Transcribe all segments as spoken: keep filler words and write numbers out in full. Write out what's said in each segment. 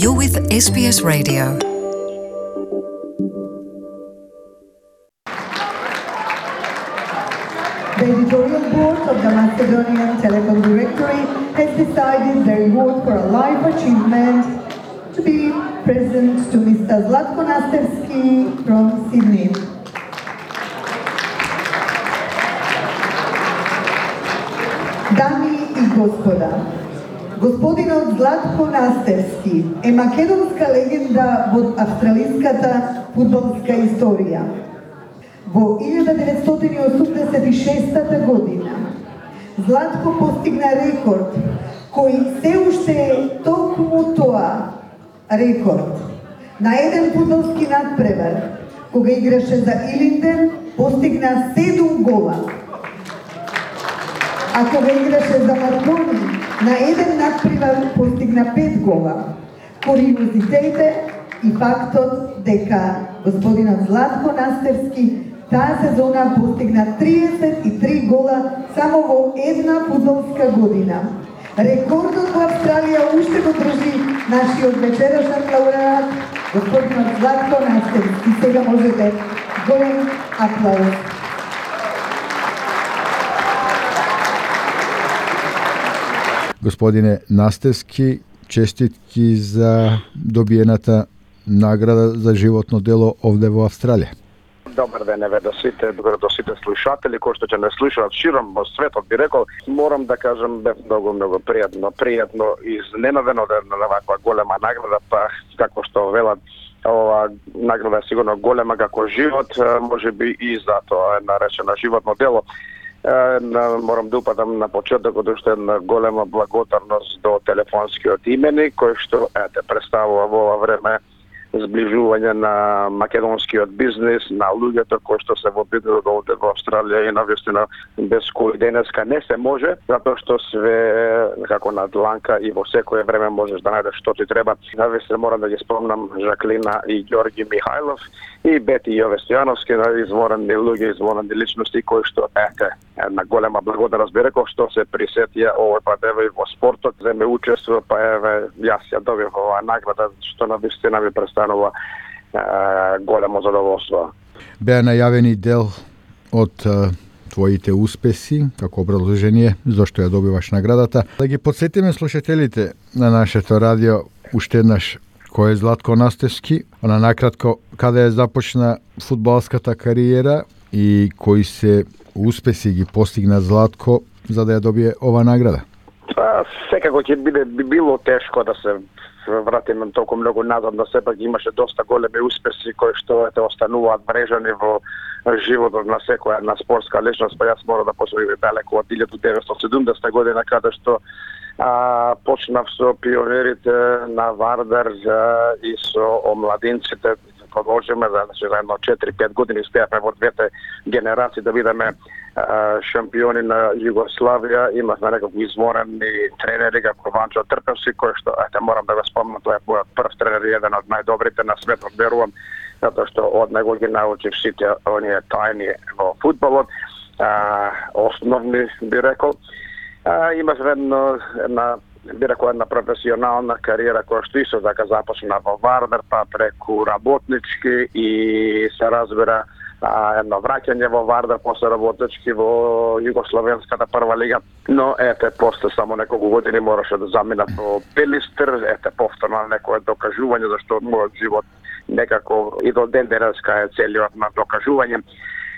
You're with S B S Radio. The editorial board of the Macedonian Telecom Directory has decided the reward for a life achievement to be present to Mister Zlatko Nastevski from Sydney. Дами и господа, господинот Златко Настевски е македонска легенда во австралиската фудбалска историја. Во илјада деветстотини осумдесет и шеста година Златко постигна рекорд кој се уште е токму тоа рекорд на еден фудбалски надпревар кога играше за Илинден, постигна седум гола. А кога играше за Маркони, на еден надпревар постигна пет гола. Куриозитете и фактот дека господинот Златко Настевски таа сезона постигна триесет и три гола само во една фудбалска година. Рекордот во Австралија уште го држи нашиот вечерашен лауреат, господинот Златко Настевски. Сега можете голем аплауз. Господине Настевски, честитки за добиената награда за животно дело овде во Австралија. Добар ден, еве до сите, до сите слушатели кои што ќе не слушаат широм во светот, би рекол, морам да кажам бев многу многу пријатно, пријатно изненадено да на ваква голема награда, па како што велат, ова награда е сигурно голема како живот, можеби и затоа е наречена животно дело. Морам да упатам на почетокот уште една голема благодарност до телефонскиот именик кој што ете представува во ова време зближување на македонскиот бизнис, на луѓето кои што се во бидот овде во Австралија и навистина без кои денеска не се може, затоа што све како на дланка и во секое време можеш да најдеш што ти треба. Навистина морам да ги спомнам Жаклина и Ѓорги Михајлов и Бети Јовестојановски, изворени луѓе, изворени личности кои што ете една голема благодарност би рекол што се присетија овој пат еве и во спортот, земе учество, па еве јас ја добив оваа награда што навистина ми представува е, големо задоволство. Беа најавени дел од е, твоите успеси, како образложение зашто ја добиваш наградата. Да ги подсетиме слушателите на нашето радио уште еднаш кој е Златко Настевски, на накратко каде е започна фудбалската кариера и кои се успеси ги постигна Златко за да ја добие ова награда? Па, секако ќе биде би било тешко да се вратиме толку многу назад, но сепак имаше доста големи успеси кои што ете остануваат врежани во животот на секоја една спортска личност, па јас мора да посвојам далеку од илјада деветстотини и седумдесета година каде што а, почнав со пионерите на Вардар а, и со омладинците. Продолжиме за, за едно четири-пет години стејавме во двете генерации да бидеме а, шампиони на Југославија. Имавме некако изворени тренери како Ванчо Трпевски, кој што ете морам да го спомнам, тоа е мојот прв тренер, еден од најдобрите на светот, верувам, затоа што од него ги научив сите оние тајни во фудбалот, а, основни би рекол. А, имавме едно една би рекол една професионална кариера која што исто така започна во Вардар, па преку работнички и се разбира а, едно враќање во Вардар, после работнички во Југословенската прва лига, но ете после само неколку години мораше да заминат во Пелистер, ете повторно некое докажување зашто мојот живот некако и до ден денеска е целиот на докажување.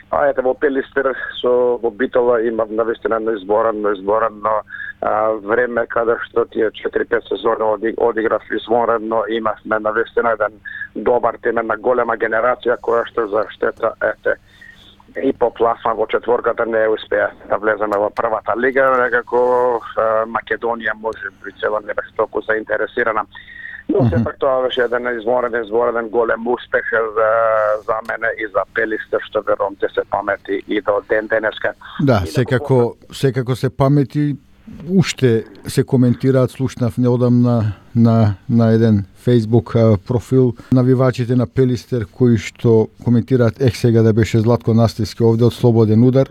А ете во Пелистер со во Битола имав навистина на изборено, изборено а, време каде што тие четири-пет сезони оди, одиграв извонредно, имавме навистина еден добар тим, една голема генерација која што за штета ете и поплафна во четворката не успеа да влеземе во првата лига, некако а, Македонија може би цело не бе толку заинтересирана. Но сепак тоа беше еден извонреден, извонреден голем успех за, за мене и за Пелистер, што верувам ќе се памети и до ден денеска. Да, секако, секако се памети, уште се коментираат, слушнав неодамна на, на еден Facebook профил навивачите на Пелистер кои што коментираат ех сега да беше Златко Настевски овде од слободен удар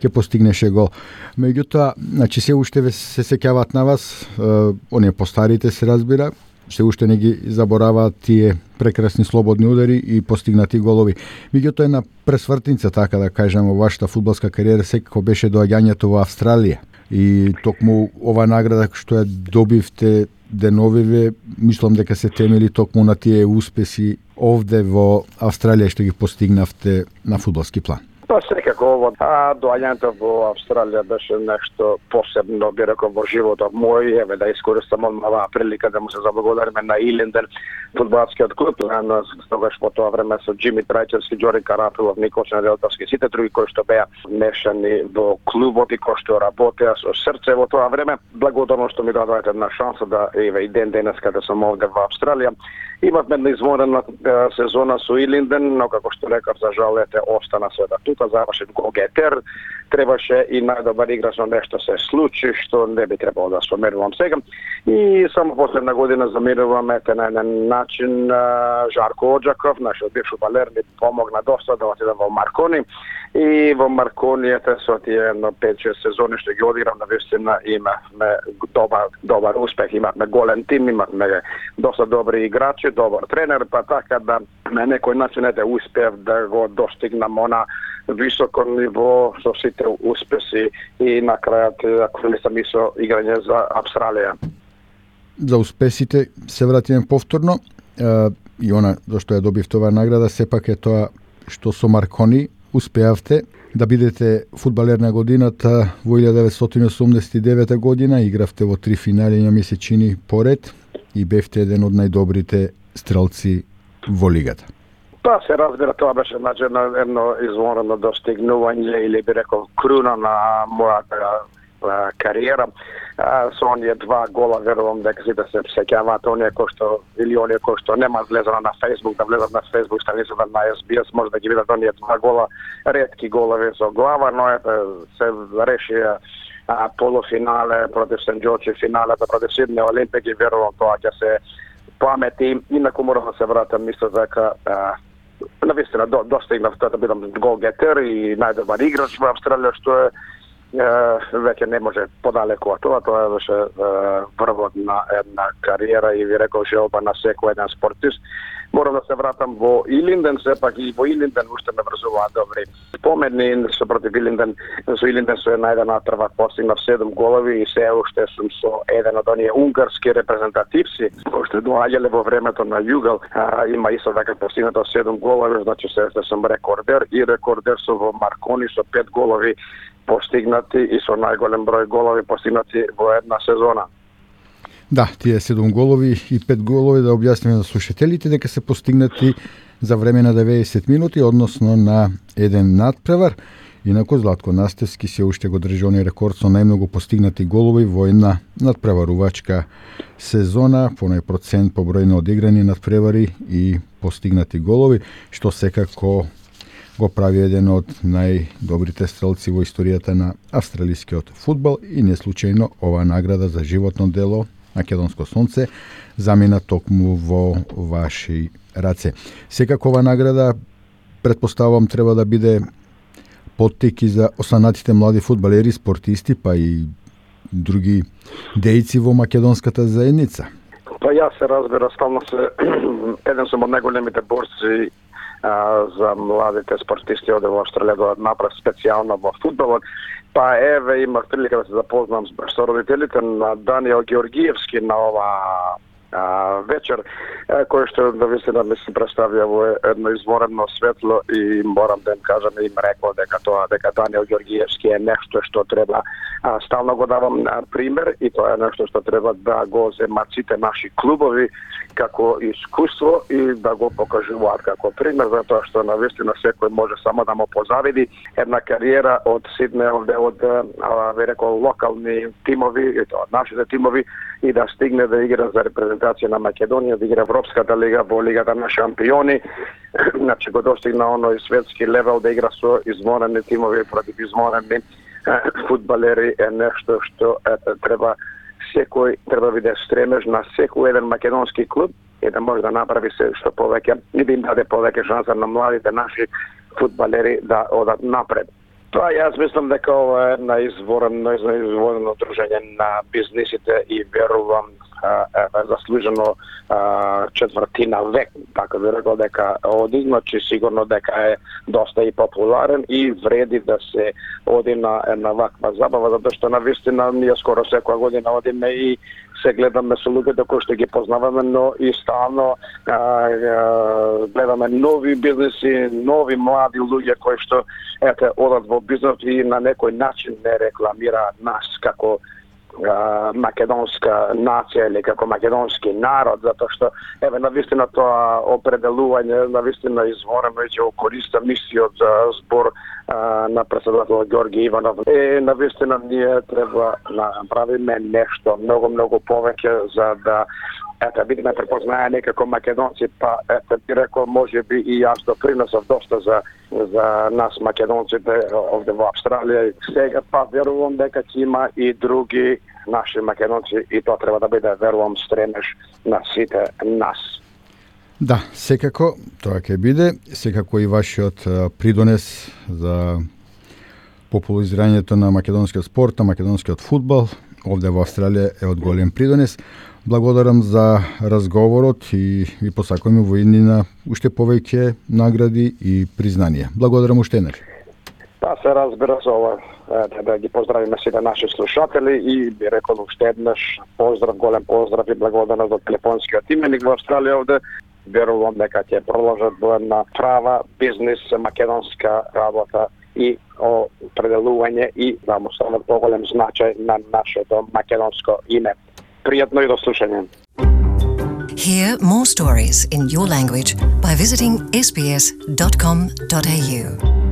ќе постигнеше гол. Меѓутоа, значи се уште се сеќаваат на вас, е, оние постарите се разбира, се уште не ги забораваат тие прекрасни слободни удари и постигнати голови. Меѓутоа една пресвртница, така да кажем, во вашата фудбалска кариера секако беше доаѓањето во Австралија. И токму ова награда што ја добивте деновиве, мислам дека се темели токму на тие успеси овде во Австралија што ги постигнавте на фудбалски план. Па секако ово, а доаѓањето во Австралија беше нешто посебно, би рекол, во животот мој, еве да искористам оваа прилика да му се заблагодариме на Илинден, фудбалскиот клуб, на тогаш по тоа време со Џими Трајчевски, Ѓори Карапилов, Николче Неделтовски, сите други кои што беа мешани во клубот и кои што работеа со срце во тоа време. Благодарно што ми дадоа една шанса да еве и ден денес каде сум овде во Австралија. Имавме една извонена сезона со Илинден, но како што рекав, за жал ете остана света тука, заврши го Гетер, требаше и најдобар играч, но нешто се случи што не би требало да споменувам сега. И само последна година замируваме ете на еден начин Жарко Оджаков, нашиот бивш фудбалер, ми помогна доста да отидам во Маркони. И во Маркони ете со тие едно пет-шест сезони што ги одиграм, навистина имавме добар добар успех, имавме голем тим, имавме доста добри играчи, добар тренер, па така да на некој начин ете успев да го достигнам она високо ниво со сите успеси и на крајот ако не сам и со играње за Австралија. За успесите се вратиме повторно и она зашто ја добив тоа награда сепак е тоа што со Маркони успеавте да бидете фудбалер на годината во илјада деветстотини осумдесет и девета година, игравте во три финали на месечини поред и бевте еден од најдобрите стрелци во лигата. Па се разбира, тоа беше значи едно извонредно достигнување или би рекол круна на мојата кариера. Со оние два гола, верувам дека сите се сеќаваат, оние кои што или оние кои што нема влезено на Facebook, да влезат на Facebook страницата на Ес Би Ес, може да ги видат оние два гола, ретки голови со глава, но ете се реши а, полуфинале против Сент Џорџ, финалата против Сиднеј Олимпик и верувам тоа ќе се памети. Инаку морам да се вратам, мисля дека навистина до, достигнав тоа да бидам голгетер и најдобар играч во Австралија, што е веќе не може подалеку од тоа. Тоа беше врвот на една кариера и ви рекол желба на секој еден спортист. Морам да се вратам во Илинден, сепак и во Илинден уште ме врзуваат добри спомени со против Илинден. Со Илинден со една една трва постигнав седум голови и се уште сум со еден од оние унгарски репрезентативци кои што доаѓале во времето на Југал. А, има исто така постигнато седум голови, значи се сум рекордер и рекордер со во Маркони со пет голови постигнати и со најголем број голови постигнати во една сезона. Да, тие седум голови и пет голови, да објасниме на слушателите дека се постигнати за време на деветдесет минути, односно на еден надпревар. Инаку Златко Настевски се уште го држи оној рекорд со најмногу постигнати голови во една надпреварувачка сезона, по нај процент по број на одиграни надпревари и постигнати голови, што секако го прави еден од најдобрите стрелци во историјата на австралискиот фудбал и не случајно оваа награда за животно дело Македонско сонце замина токму во ваши раце. Секако оваа награда, претпоставувам, треба да биде поттик и за останатите млади фудбалери, спортисти, па и други дејци во македонската заедница. Па јас се разбира, стално се еден сум од најголемите борци а, за младите спортисти овде во Австралија да направи специјално во фудбалот. Па еве имав прилика да се запознам со родителите на Даниел Георгиевски на ова а, вечер, а, кој што навистина ми се представија во едно изворено светло и морам да им кажам и им рекол дека тоа дека Даниел Георгиевски е нешто што треба а, стално го давам а, пример и тоа е нешто што треба да го земат сите наши клубови како искуство и да го покажуваат како пример, затоа што навистина секој може само да му позавиди една кариера од Сиднеј, овде од а, ви рекол локални тимови, и тоа нашите тимови, и да стигне да игра за репрезентација на Македонија, да игра Европската лига, во лигата на шампиони, значи го достигна оној светски левел да игра со изморени тимови против изморени фудбалери е нешто што ете, треба секој треба биде стремеж на секој еден македонски клуб и да може да направи се што повеќе и да им даде повеќе шанса на младите наши фудбалери да одат напред. Тоа јас мислам дека ова е една изворено, изворено дружење на бизнисите и верувам е заслужено а, четвртина век, така би рекол дека оди, значи сигурно дека е доста и популарен и вреди да се оди на една ваква забава, затоа што навистина ние скоро секоја година одиме и се гледаме со луѓето кои што ги познаваме, но и стално а, а, гледаме нови бизнеси, нови млади луѓе кои што ете одат во бизнес и на некој начин не рекламираат нас како а, македонска нација или како македонски народ, затоа што еве навистина тоа определување навистина изворено и ќе го користам мисиот за збор а, на председател Ѓорги Иванов. Е, навистина ние треба да направиме нешто многу многу повеќе за да ете бидеме препознаени како македонци, па ете би рекол можеби и јас допринесов доста за за нас македонците овде во Австралија. Сега па верувам дека ќе има и други наши македонци и тоа треба да биде, верувам, стремеж на сите нас. Да, секако тоа ќе биде, секако и вашиот придонес за популаризирањето на македонскиот спорт, на македонскиот фудбал овде во Австралија е од голем придонес. Благодарам за разговорот и ви посакуваме во иднина уште повеќе награди и признанија. Благодарам уште еднаш. Па се разбира со ова, да ги поздравиме сите наши слушатели и би рекол уште еднаш поздрав, голем поздрав и благодарност до телефонскиот именик во Австралија овде. Верувам дека ќе продолжат во една права бизнес македонска работа и определување и да му стават поголем значај на нашето македонско име. Пријатно и до слушање. Hear more stories in your language by visiting s b s dot com dot a u.